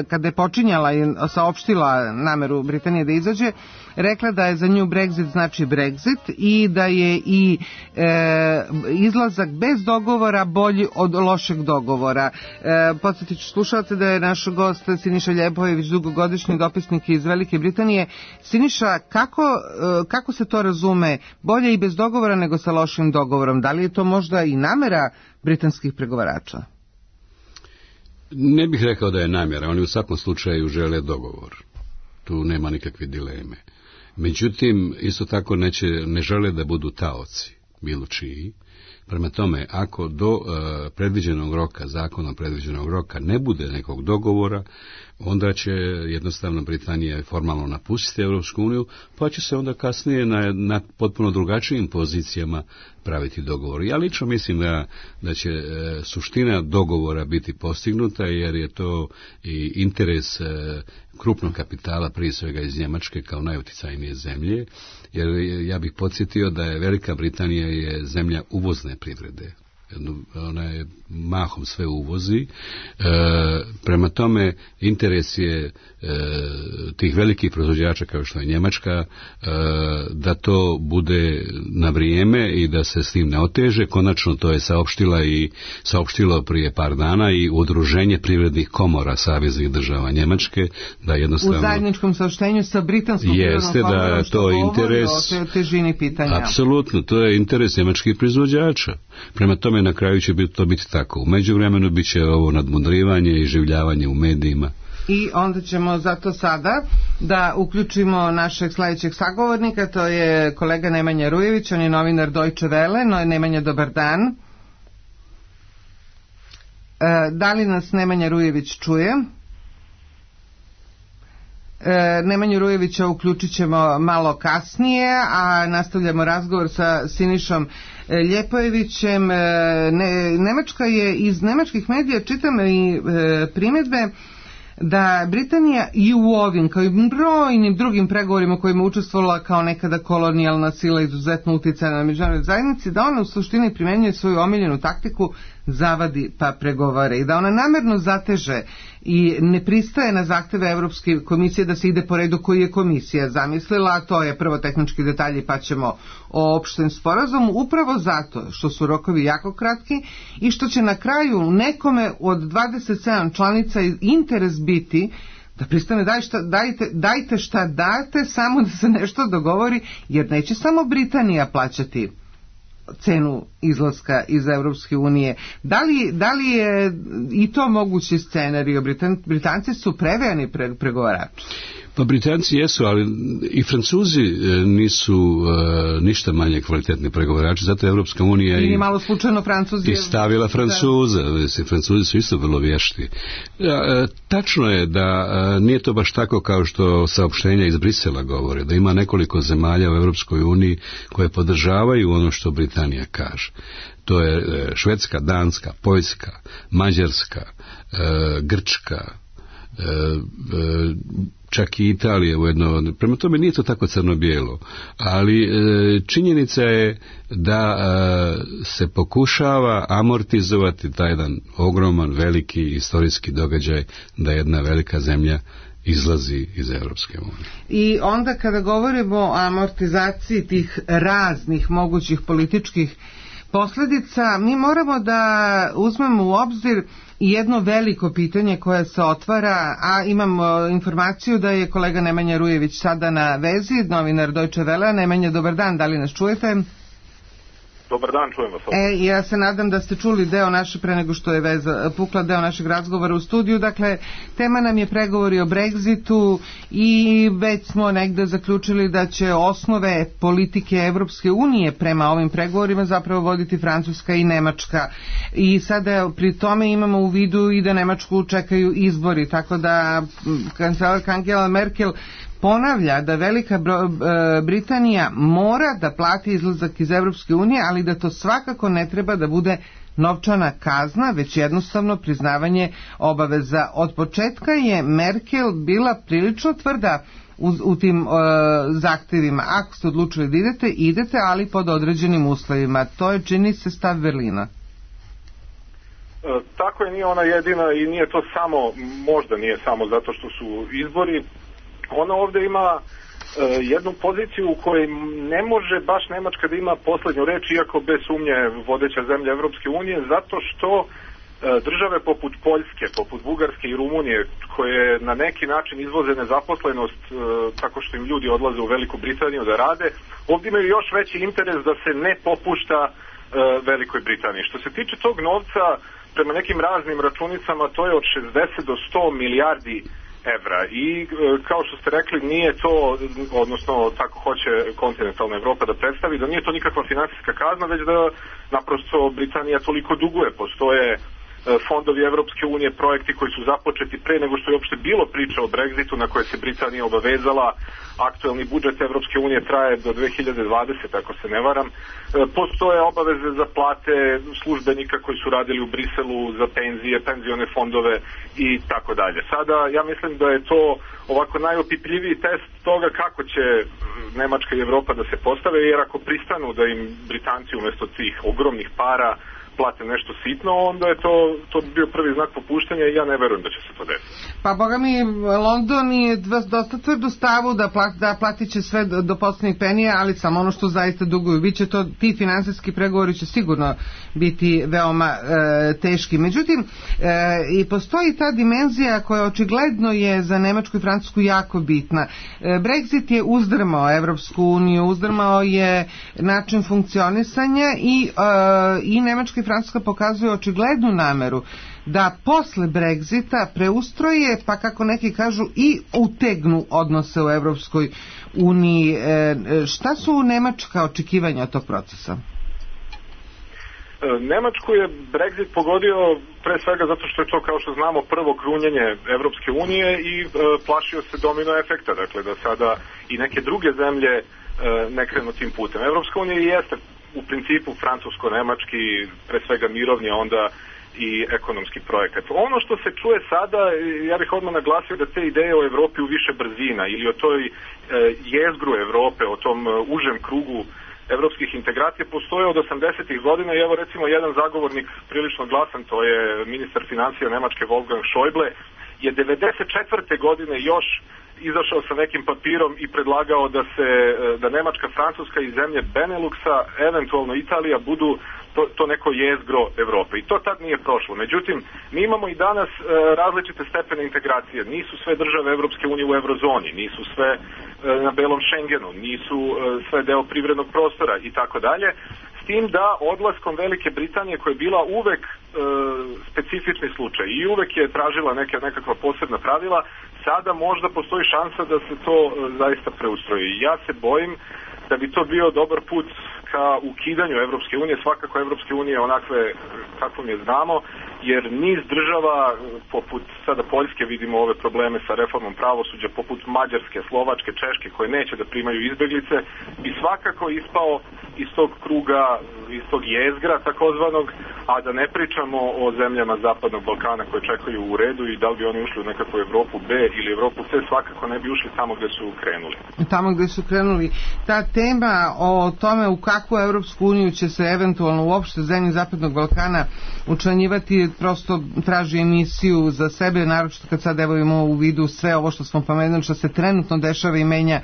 kada je počinjala i saopštila nameru Britanije da izađe, rekla da je za nju Brexit znači Brexit i da je i izlazak bez dogovora bolji od lošeg dogovora. Podsjetit ću slušalce da je naš gost Siniša Ljepojević, dugogodišnji dopisnik iz Velike Britanije. Siniša, kako se to razume? Bolje i bez dogovora nego sa lošim dogovorom. Da li je to možda i namera britanskih pregovarača? Ne bih rekao da je namjera. Oni u svakom slučaju žele dogovor. Tu nema nikakve dileme. Međutim, isto tako ne žele da budu taoci, bilo čiji. Prema tome, ako do predviđenog roka, zakonom predviđenog roka, ne bude nekog dogovora, onda će jednostavno Britanija formalno napustiti Europsku uniju, pa će se onda kasnije na potpuno drugačijim pozicijama praviti dogovor. Ja lično mislim da će suština dogovora biti postignuta, jer je to i interes krupnog kapitala, prije svega iz Njemačke kao najuticajnije zemlje, jer ja bih podsjetio da je Velika Britanija je zemlja uvozne privrede. Ona je mahom sve uvozi. Prema tome interes je tih velikih proizvođača kao što je Njemačka da to bude na vrijeme i da se s tim ne oteže. Konačno to je saopštilo prije par dana i Udruženje privrednih komora saveznih država Njemačke, da jednostavno u zajedničkom saopštenju sa britanskom jeste da je to interes o težini pitanja. Apsolutno, to je interes njemačkih proizvođača. Prema tome na kraju će to biti tako. U međuvremenu bit će ovo nadmudrivanje i življavanje u medijima. I onda ćemo zato sada da uključimo našeg sledećeg sagovornika, to je kolega Nemanja Rujević, on je novinar Deutsche Welle. Nemanja, dobar dan. Da li nas Nemanja Rujević čuje? Nemanju Rujevića uključit ćemo malo kasnije, a nastavljamo razgovor sa Sinišom Ljepojevićem. Nemačka je, iz nemačkih medija čitam i primjedbe da Britanija i u ovim, kao i brojnim drugim pregovorima kojima učestvovala kao nekada kolonijalna sila izuzetno uticajna na međunarodnoj zajednici, da ona u suštini primenjuje svoju omiljenu taktiku zavadi pa pregovara i da ona namerno zateže i ne pristaje na zahteve Evropske komisije da se ide po redu koji je komisija zamislila, a to je prvo tehnički detalji pa ćemo o opštem sporazumu, upravo zato što su rokovi jako kratki i što će na kraju nekome od 27 članica interes biti da pristane dajte šta date, samo da se nešto dogovori, jer neće samo Britanija plaćati cenu izlaska iz Evropske unije. Da li je i to mogući scenarij? Britanci su prevejani pregovarači. Pa Britanci jesu, ali i Francuzi nisu ništa manje kvalitetni pregovarači, zato je Evropska unija i malo slučajno Francuzi i stavila Francuza. Francuzi su isto vrlo vješti. Tačno je da nije to baš tako kao što saopštenja iz Brisela govore, da ima nekoliko zemalja u Evropskoj uniji koje podržavaju ono što Britanija kaže. To je Švedska, Danska, Poljska, Mađarska, Grčka, čak i Italije ujedno. Prema tome nije to tako crno-bijelo, ali činjenica je da se pokušava amortizovati taj jedan ogroman, veliki istorijski događaj da jedna velika zemlja izlazi iz Evropske unije. I onda kada govorimo o amortizaciji tih raznih mogućih političkih posljedica, mi moramo da uzmemo u obzir i jedno veliko pitanje koje se otvara, a imamo informaciju da je kolega Nemanja Rujević sada na vezi, novinar Deutsche Welle. Nemanja, dobar dan, da li nas čujete? Dobar dan, čujem vas. Ja se nadam da ste čuli deo naše, pre nego što je pukla deo našeg razgovora u studiju. Dakle, tema nam je pregovori o Brexitu i već smo negde zaključili da će osnove politike Evropske unije prema ovim pregovorima zapravo voditi Francuska i Nemačka. I sada pri tome imamo u vidu i da Nemačku čekaju izbori, tako da kancelarka Angela Merkel ponavlja da Velika Britanija mora da plati izlazak iz Evropske unije, ali da to svakako ne treba da bude novčana kazna, već jednostavno priznavanje obaveza. Od početka je Merkel bila prilično tvrda u tim zahtevima. Ako ste odlučili da idete, ali pod određenim uslovima. To je, čini se, stav Berlina. Tako je, nije ona jedina i nije to samo, možda nije samo zato što su izbori. Ona ovdje ima jednu poziciju u kojoj ne može baš Nemačka da ima posljednju reč, iako bez sumnje vodeća zemlja Evropske unije, zato što države poput Poljske, poput Bugarske i Rumunije, koje na neki način izvoze nezaposlenost tako što im ljudi odlaze u Veliku Britaniju da rade, ovdje imaju još veći interes da se ne popušta Velikoj Britaniji. Što se tiče tog novca, prema nekim raznim računicama, to je od 60 do 100 milijardi evra i kao što ste rekli, nije to, odnosno tako hoće kontinentalna Evropa da predstavi, da nije to nikakva finansijska kazna, već da naprosto Britanija toliko duguje. Postoje fondovi Evropske unije, projekti koji su započeti pre nego što je uopšte bilo priča o Brexitu na koje se Britanija obavezala. Aktuelni budžet Evropske unije traje do 2020, ako se ne varam. Postoje obaveze za plate službenika koji su radili u Briselu, za penzije, penzione fondove i tako dalje. Sada ja mislim da je to ovako najopipljiviji test toga kako će Nemačka i Evropa da se postave, jer ako pristanu da im Britanci umjesto tih ogromnih para plate nešto sitno, onda je to bio prvi znak popuštanja i ja ne verujem da će se to desiti. Pa boga mi, London je dosta tvrdu stavu da platit će sve do posljednjih penija, ali samo ono što zaista duguju. Biće to, ti finansijski pregovori će sigurno biti veoma teški. Međutim, i postoji ta dimenzija koja očigledno je za Nemačku i Francusku jako bitna. Brexit je uzdrmao Evropsku uniju, uzdrmao je način funkcionisanja i Nemačka i Francuska pokazuje očiglednu nameru da posle Brexita preustroje, pa kako neki kažu i utegnu odnose u Evropskoj uniji. Šta su nemačka očekivanja od tog procesa? Nemačku je Brexit pogodio pre svega zato što je to, kao što znamo, prvo krunjenje Evropske unije i plašio se domino efekta, dakle da sada i neke druge zemlje ne krenu tim putem. Evropska unija jeste u principu francusko-nemački, pre svega mirovni, onda i ekonomski projekat. Ono što se čuje sada, ja bih odmah naglasio da te ideje o Evropi u više brzina ili o toj jezgru Evrope, o tom užem krugu evropskih integracija postoje od 80-ih godina i evo recimo jedan zagovornik prilično glasan, to je ministar financija Nemačke Wolfgang Schäuble, je 94. godine još izašao sa nekim papirom i predlagao da Nemačka, Francuska i zemlje Beneluxa, eventualno Italija, budu to neko jezgro Evrope. I to tad nije prošlo. Međutim, mi imamo i danas različite stepene integracije. Nisu sve države Evropske unije u eurozoni, nisu sve na belom Schengenu, nisu sve deo privrednog prostora i tako dalje. S tim da odlaskom Velike Britanije, koja je bila uvek specifični slučaj i uvek je tražila nekakva posebna pravila, sada možda postoji šansa da se to zaista preustroji. Ja se bojim da bi to bio dobar put ka ukidanju Evropske unije, svakako Evropske unije onakve kakvom je znamo, jer niz država, poput sada Poljske, vidimo ove probleme sa reformom pravosuđa, poput Mađarske, Slovačke, Češke, koje neće da primaju izbeglice, bi svakako ispao iz tog kruga, iz tog jezgra takozvanog, a da ne pričamo o zemljama Zapadnog Balkana koje čekaju u redu i da li bi oni ušli u nekakvu Evropu B ili Evropu C, svakako ne bi ušli tamo gde su krenuli. Tamo gde su krenuli. Ta tema o tome u kakvu Evropsku uniju će se eventualno uopšte zemlje Zapadnog Balkana učlanjivati, prosto traži emisiju za sebe, naročito kad sad evo imamo u vidu sve ovo što smo pomenuli, što se trenutno dešava i menja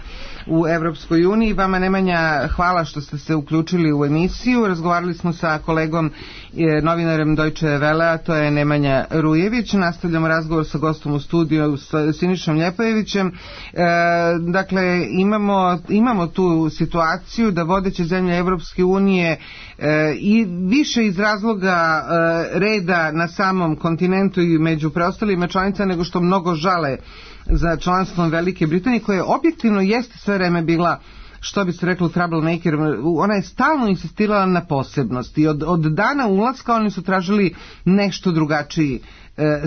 u Evropskoj uniji. Vama, Nemanja, hvala što ste se uključili u emisiju. Razgovarali smo sa kolegom novinarem Deutsche Welle, to je Nemanja Rujević. Nastavljamo razgovor sa gostom u studiju, sa Sinišom Ljepojevićem. Dakle, imamo tu situaciju da vodeće zemlje Evropske unije i više iz razloga reda na samom kontinentu i među preostalima članica nego što mnogo žale za članstvom Velike Britanije, koja objektivno jeste sve vreme bila, što bi se reklo, troublemaker. Ona je stalno insistirala na posebnosti i od dana ulaska oni su tražili nešto drugačiji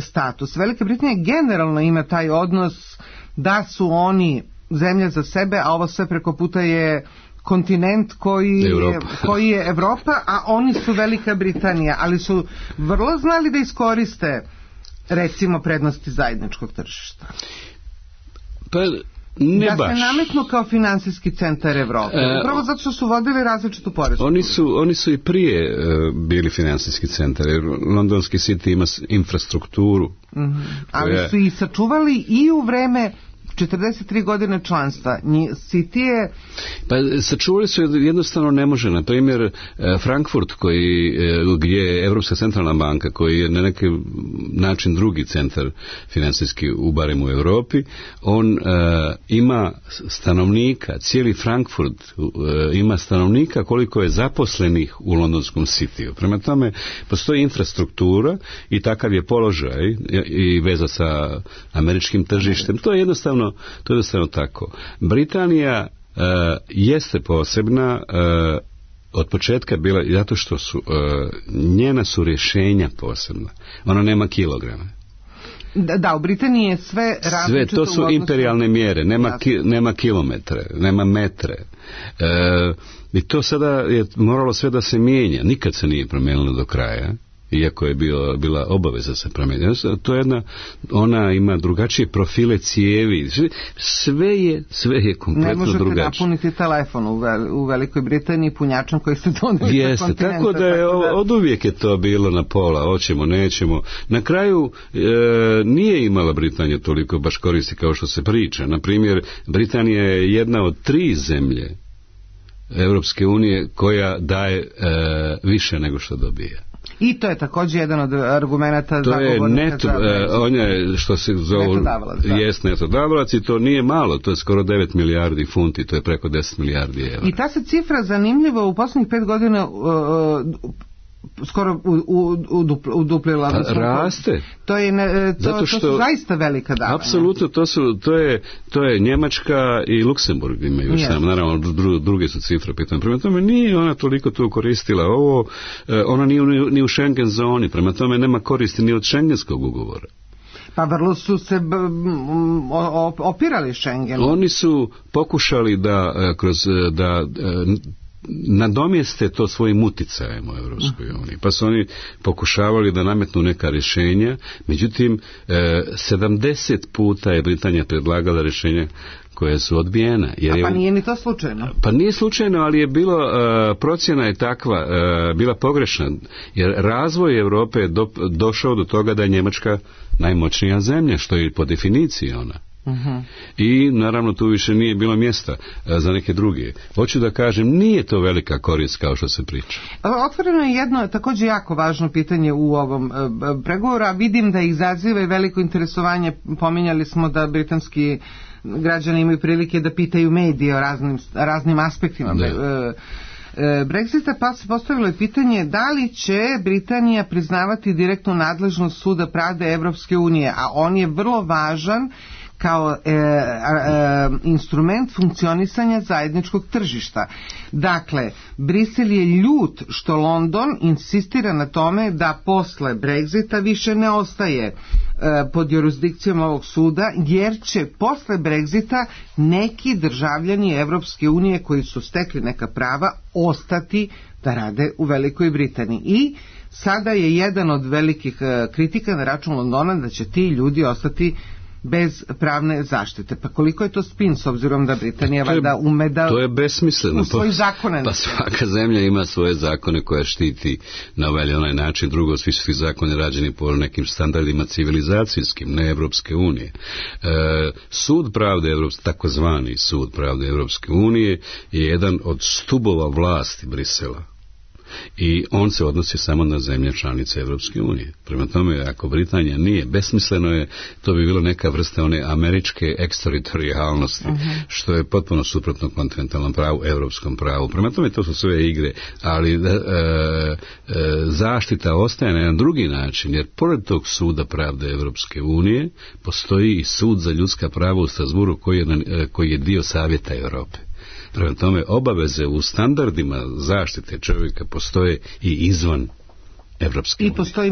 status. Velika Britanija generalno ima taj odnos da su oni zemlja za sebe, a ovo sve preko puta je kontinent koji je Evropa, a oni su Velika Britanija, ali su vrlo znali da iskoriste recimo prednosti zajedničkog tržišta. Pa ne baš. Da se nametnu kao finansijski centar Evrope. Upravo zato što su vodili različitu poresku. Oni su i prije bili finansijski centar. Londonski City ima infrastrukturu. Ali su i sačuvali i u vreme 43 godine članstva. City je... Pa sačuvali su jednostavno ne može. Na primjer, Frankfurt gdje je Evropska centralna banka, koji je na neki način drugi centar finansijski barem u Europi, on ima stanovnika, cijeli Frankfurt ima stanovnika koliko je zaposlenih u londonskom Cityu. Prema tome, postoji infrastruktura i takav je položaj i veza sa američkim tržištem. To je jednostavno tako. Britanija jeste posebna od početka bila, zato što su njena su rješenja posebna. Ona nema kilograme. Da, u Britaniji je sve različito. Sve, to su imperialne mjere, nema kilometre, nema metre. I to sada je moralo sve da se mijenja, nikad se nije promijenilo do kraja, iako je bila obaveza se promijeniti. To je ona ima drugačije profile cijevi, sve je kompletno drugačije. Ne možete napuniti telefon u Velikoj Britaniji punjačom koji ste doneli. Jeste, tako da je od uvijek je to bilo na pola, hoćemo, nećemo. Na kraju nije imala Britanija toliko baš koristi kao što se priča. Na primjer, Britanija je jedna od 3 zemlje Europske unije koja daje više nego što dobija. I to je također jedan od argumenata zagovornika za Brexit. On je, što se zovu, jest netodavalac i to nije malo, to je skoro 9 milijardi funti, to je preko 10 milijardi evra. I ta se cifra zanimljivo u posljednjih 5 godina skoro uduplila. Raste. To su zaista velika davanja. Apsolutno, to je Njemačka i Luksemburg imaju još samo, naravno druge su cifre pitanje. Prema tome nije ona toliko tu koristila ovo, ona nije ni u Schengen zoni, prema tome nema koristi ni od Schengenskog ugovora. Pa vrlo su se opirali Schengenu. Oni su pokušali da nadomjeste to svojim uticajem u Europskoj uniji. Pa su oni pokušavali da nametnu neka rješenja, međutim 70 puta je Britanija predlagala rješenja koje su odbijena. Pa nije ni to slučajno? Pa nije slučajno, ali je bilo, procjena je takva, bila pogrešna, jer razvoj Europe je došao do toga da je Njemačka najmoćnija zemlja, što je po definiciji ona. I naravno tu više nije bilo mjesta za neke druge. Hoću da kažem, nije to velika korist kao što se priča. Otvoreno je jedno također jako važno pitanje u ovom pregovoru, a vidim da izaziva i veliko interesovanje. Pominjali smo da britanski građani imaju prilike da pitaju medije o raznim aspektima Brexita, pa se postavilo je pitanje da li će Britanija priznavati direktnu nadležnost Suda pravde Evropske unije, a on je vrlo važan kao instrument funkcionisanja zajedničkog tržišta. Dakle, Brisel je ljut što London insistira na tome da posle Brexita više ne ostaje pod jurisdikcijom ovog suda, jer će posle Brexita neki državljani Evropske unije koji su stekli neka prava ostati da rade u Velikoj Britaniji. I sada je jedan od velikih kritika na račun Londona da će ti ljudi ostati bez pravne zaštite. Pa koliko je to spin s obzirom da Britanija valjda ume da to je besmisleno. U svoji zakone. Pa svaka zemlja ima svoje zakone koje štiti na ovaj onaj način. Drugo, svi su zakoni rađeni po nekim standardima civilizacijskim, ne Evropske unije. Sud pravde takozvani Sud pravde Evropske unije je jedan od stubova vlasti Brisela. I on se odnosi samo na zemlje članice Evropske unije. Prema tome, ako Britanija nije, besmisleno je, to bi bilo neka vrsta one američke eksteritorijalnosti, što je potpuno suprotno kontinentalnom pravu, evropskom pravu. Prema tome, to su sve igre, ali zaštita ostaje na jedan drugi način, jer pored tog Suda pravde Evropske unije postoji i Sud za ljudska prava u Strasburu koji je dio Savjeta Europe. Prema tome, obaveze u standardima zaštite čovjeka postoje i izvan Evropske unije. I postoji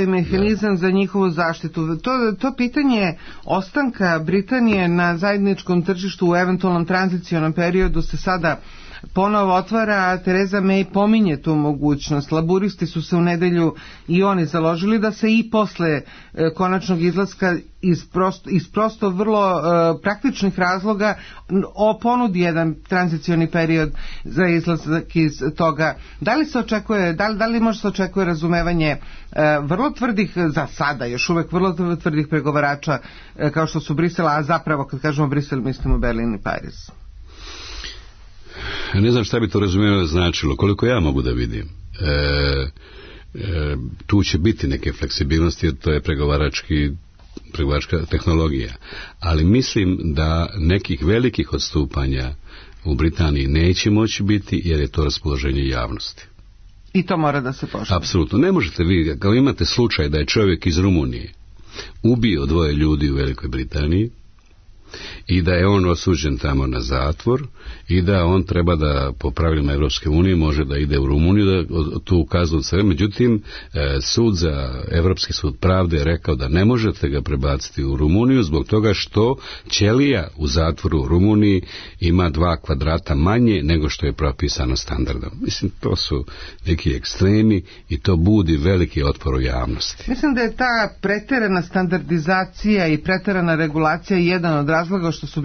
mehanizam za njihovu zaštitu. To pitanje ostanka Britanije na zajedničkom tržištu u eventualnom tranzicionom periodu se sada ponovo otvara, a Theresa May pominje tu mogućnost. Laburisti su se u nedelju i oni založili da se i posle konačnog izlaska iz prosto vrlo praktičnih razloga ponudi jedan tranzicioni period za izlazak iz toga. Da li se očekuje, da li može se očekuje razumevanje vrlo tvrdih, za sada još uvek vrlo tvrdih pregovarača kao što su Brisel, a zapravo kad kažemo Brisel mislimo Berlin i Pariz? Ne znam šta bi to razumijeno značilo, koliko ja mogu da vidim. Tu će biti neke fleksibilnosti, jer to je pregovaračka tehnologija. Ali mislim da nekih velikih odstupanja u Britaniji neće moći biti, jer je to raspoloženje javnosti. I to mora da se poštuje. Apsolutno. Ne možete vi, kao imate slučaj da je čovjek iz Rumunije ubio 2 ljudi u Velikoj Britaniji, i da je on osuđen tamo na zatvor i da on treba da po pravilima Evropske unije može da ide u Rumuniju da tu kaznu sve. Međutim, Evropski sud pravde je rekao da ne možete ga prebaciti u Rumuniju zbog toga što ćelija u zatvoru u Rumuniji ima 2 kvadrata manje nego što je propisano standardom. Mislim, to su neki ekstremi i to budi veliki otpor u javnosti. Mislim da je ta preterana standardizacija i preterana regulacija jedan od razloga što su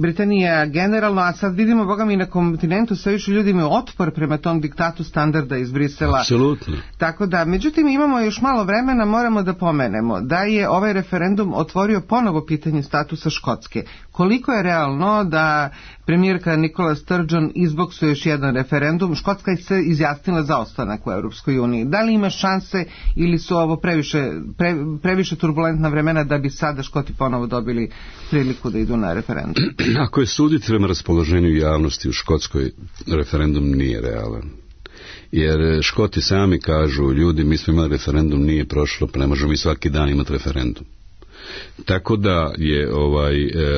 Britanija generalno, a sad vidimo, boga mi, na kontinentu sve više ljudi imaju otpor prema tom diktatu standarda iz Brisela. Apsolutno. Tako da, međutim, imamo još malo vremena, moramo da pomenemo da je ovaj referendum otvorio ponovo pitanje statusa Škotske. Koliko je realno da premijerka Nicola Sturgeon izboksuje još jedan referendum? Škotska je se izjasnila za ostanak u Europskoj uniji. Da li ima šanse ili su ovo previše turbulentna vremena da bi sada Škoti ponovo dobili priliku da idu na referendum? Ako je suditi prema raspoloženju javnosti u Škotskoj, referendum nije realan. Jer Škoti sami kažu, ljudi, mi smo imali referendum, nije prošlo, pa ne možemo mi svaki dan imati referendum. Tako da je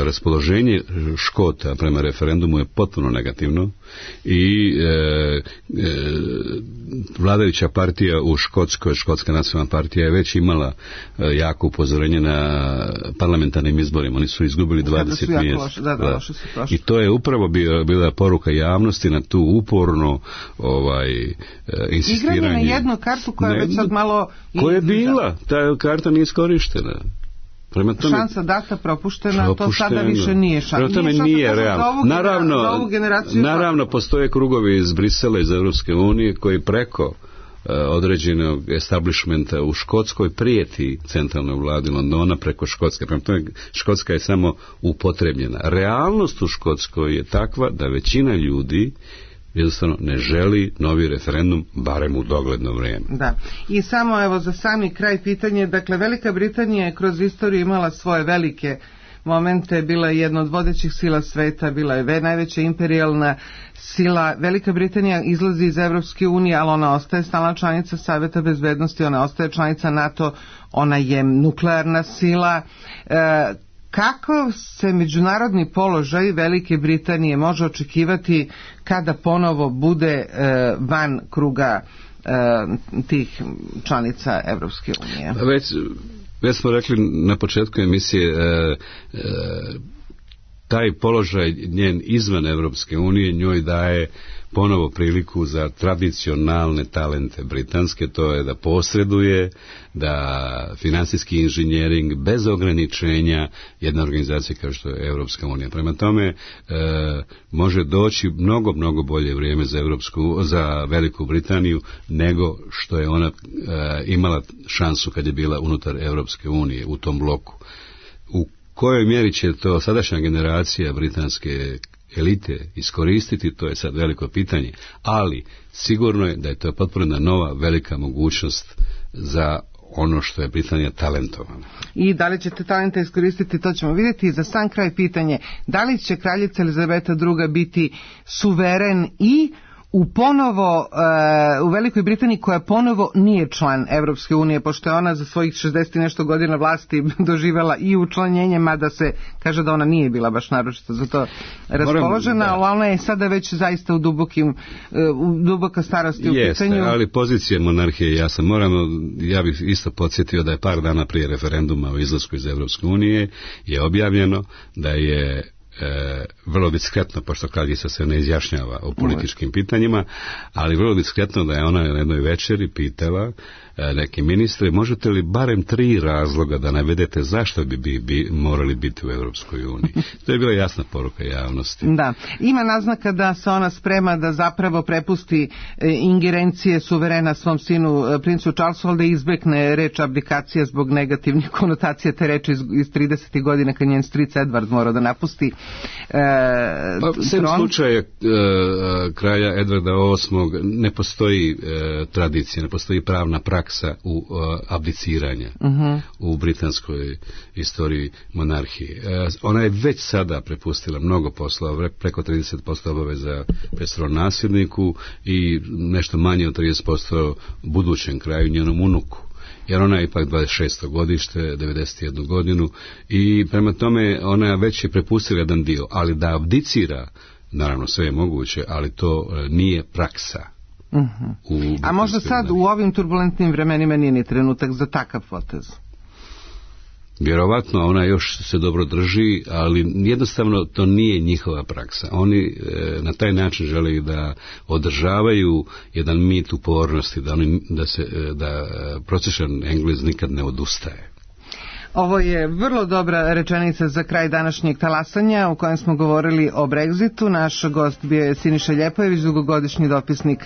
raspoloženje Škota prema referendumu je potpuno negativno i vladajuća partija u Škotskoj, Škotska nacionalna partija je već imala jako upozorenje na parlamentarnim izborima. Oni su izgubili 20 mjesta. I to je upravo bila poruka javnosti na tu uporno insistiranje. Igranje na jednu kartu koja je već sad malo... Koja je bila? Ta karta nije iskorištena. Šansa data propuštena, to sada više nije šansa. Prema tome nije realno. Naravno, postoje krugovi iz Brisela, iz Evropske unije, koji preko određenog establishmenta u Škotskoj prijeti centralnoj vladi Londona preko Škotske. Prema tome, Škotska je samo upotrebljena. Realnost u Škotskoj je takva da većina ljudi jednostavno ne želi novi referendum, barem u dogledno vrijeme. Da. I samo evo za sami kraj pitanje, dakle Velika Britanija je kroz istoriju imala svoje velike momente, bila je jedna od vodećih sila sveta, bila je najveća imperijalna sila. Velika Britanija izlazi iz Evropske unije, ali ona ostaje stalna članica Saveta bezbednosti, ona ostaje članica NATO, ona je nuklearna sila. Kako se međunarodni položaj Velike Britanije može očekivati kada ponovo bude van kruga tih članica Evropske unije? Već smo rekli na početku emisije, taj položaj njen izvan Evropske unije njoj daje ponovo priliku za tradicionalne talente britanske, to je da posreduje, da financijski inženjering bez ograničenja jedna organizacija kao što je Evropska unija. Prema tome može doći mnogo bolje vrijeme za Veliku Britaniju nego što je ona imala šansu kad je bila unutar Evropske unije u tom bloku. U kojoj mjeri će to sadašnja generacija britanske elite iskoristiti, to je sad veliko pitanje, ali sigurno je da je to potpuno nova velika mogućnost za ono što je Britanija talentovana. I da li će te talente iskoristiti, to ćemo vidjeti. Za sam kraj pitanje, da li će kraljica Elizabeta II biti suveren i u Velikoj Britaniji koja ponovo nije član Evropske unije, pošto je ona za svojih 60 i nešto godina vlasti doživjela i učlanjenje, mada se kaže da ona nije bila baš naročito za to raspoložena, ali ona je sada već zaista u duboka starosti u pitanju. Ali pozicija monarhije ja bih isto podsjetio da je par dana prije referenduma o izlasku iz Evropske unije je objavljeno da je vrlo diskretno, pošto kraljica se ne izjašnjava o političkim pitanjima, ali vrlo diskretno da je ona na jednoj večeri pitala neki ministre, možete li barem 3 razloga da navedete zašto bi morali biti u Europskoj uniji. To je bila jasna poruka javnosti. Da, ima naznaka da se ona sprema da zapravo prepusti ingerencije suverena svom sinu princu Charlesu, ali da izbjekne reč abdikacija zbog negativnih konotacija te reči iz 30. godina kad njen stric Edward mora da napusti sem slučaja kralja Edwarda VIII ne postoji tradicija, ne postoji pravna praksa u abdiciranja u britanskoj istoriji monarhije. Ona je već sada prepustila mnogo posla, preko 30% obaveza petoro nasljedniku i nešto manje od 30% budućem kraju, njenom unuku. jer ona je ipak 26. godište, 91 godinu i prema tome ona već je prepustila jedan dio, ali da abdicira, naravno sve je moguće, ali to nije praksa. A možda sad u ovim turbulentnim vremenima nije ni trenutak za takav potez? Vjerovatno ona još se dobro drži, ali jednostavno to nije njihova praksa. Oni na taj način žele da održavaju jedan mit upornosti, da prosječan Englez nikad ne odustaje. Ovo je vrlo dobra rečenica za kraj današnjeg talasanja u kojem smo govorili o Brexitu. Naš gost bio je Siniša Ljepojević, dugogodišnji dopisnik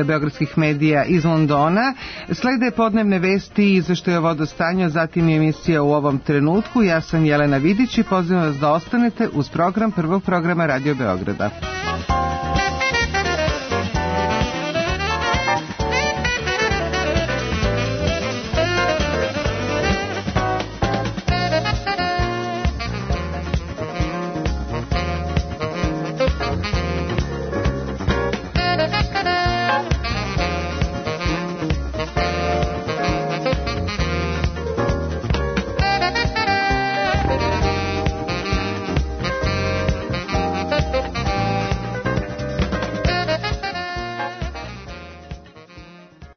beogradskih medija iz Londona. Slede podnevne vesti i izveštaje o vodostanju, zatim je emisija U ovom trenutku. Ja sam Jelena Vidić i pozivam vas da ostanete uz program prvog programa Radio Beograda.